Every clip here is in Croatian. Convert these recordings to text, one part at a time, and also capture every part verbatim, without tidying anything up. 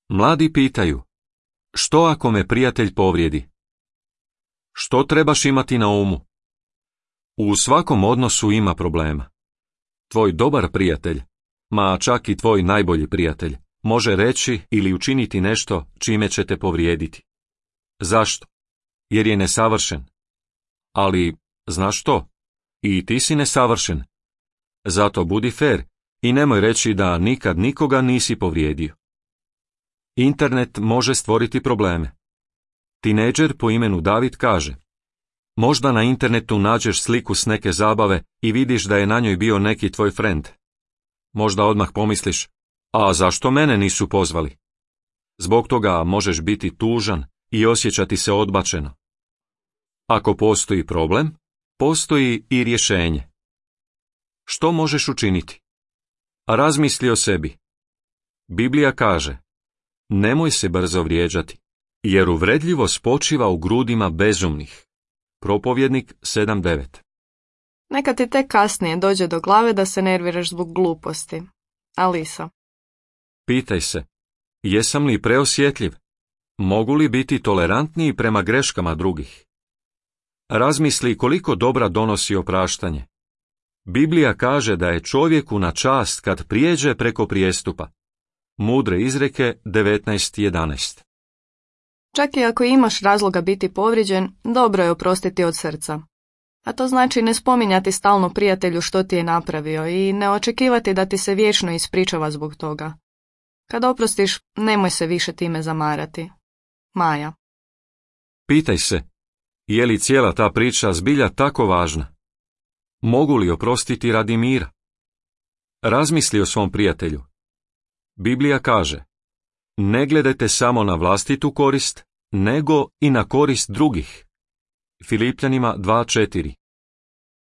Mladi pitaju, što ako me prijatelj povrijedi? Što trebaš imati na umu? U svakom odnosu ima problema. Tvoj dobar prijatelj, ma čak i tvoj najbolji prijatelj, može reći ili učiniti nešto čime će te povrijediti. Zašto? Jer je nesavršen. Ali, znaš što? I ti si nesavršen. Zato budi fer i nemoj reći da nikad nikoga nisi povrijedio. Internet može stvoriti probleme. Tinejdžer po imenu David kaže, možda na internetu nađeš sliku s neke zabave i vidiš da je na njoj bio neki tvoj friend. Možda odmah pomisliš, a zašto mene nisu pozvali? Zbog toga možeš biti tužan i osjećati se odbačeno. Ako postoji problem, postoji i rješenje. Što možeš učiniti? Razmisli o sebi. Biblija kaže, nemoj se brzo vrijeđati, jer uvredljivost počiva u grudima bezumnih. Propovjednik sedam devet. Neka ti tek kasnije dođe do glave da se nerviraš zbog gluposti. Alisa. Pitaj se, jesam li preosjetljiv? Mogu li biti tolerantniji prema greškama drugih? Razmisli koliko dobra donosi opraštanje. Biblija kaže da je čovjeku na čast kad prijeđe preko prijestupa. Mudre izreke devetnaest jedanaest. Čak i ako imaš razloga biti povrijeđen, dobro je oprostiti od srca. A to znači ne spominjati stalno prijatelju što ti je napravio i ne očekivati da ti se vječno ispričava zbog toga. Kad oprostiš, nemoj se više time zamarati. Maja. Pitaj se, je li cijela ta priča zbilja tako važna? Mogu li oprostiti radi mira? Razmisli o svom prijatelju. Biblija kaže, ne gledajte samo na vlastitu korist, nego i na korist drugih. Filipljanima dva četiri.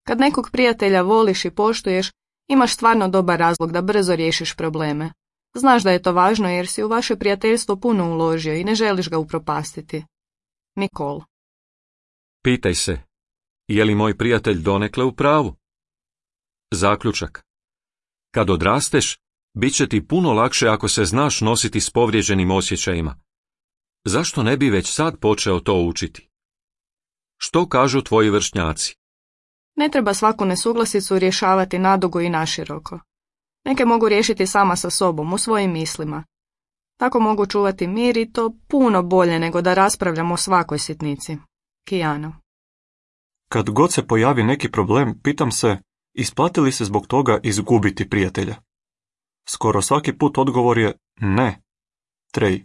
Kad nekog prijatelja voliš i poštuješ, imaš stvarno dobar razlog da brzo riješiš probleme. Znaš da je to važno jer si u vaše prijateljstvo puno uložio i ne želiš ga upropastiti. Nikol. Pitaj se, je li moj prijatelj donekle u pravu? Zaključak. Kad odrasteš, bit će ti puno lakše ako se znaš nositi s povrijeđenim osjećajima. Zašto ne bi već sad počeo to učiti? Što kažu tvoji vršnjaci? Ne treba svaku nesuglasicu rješavati nadugo i naširoko. Neke mogu riješiti sama sa sobom, u svojim mislima. Tako mogu čuvati mir i to puno bolje nego da raspravljamo o svakoj sitnici. Kijana. Kad god se pojavi neki problem, pitam se, isplati li se zbog toga izgubiti prijatelja? Skoro svaki put odgovor je ne. Trej.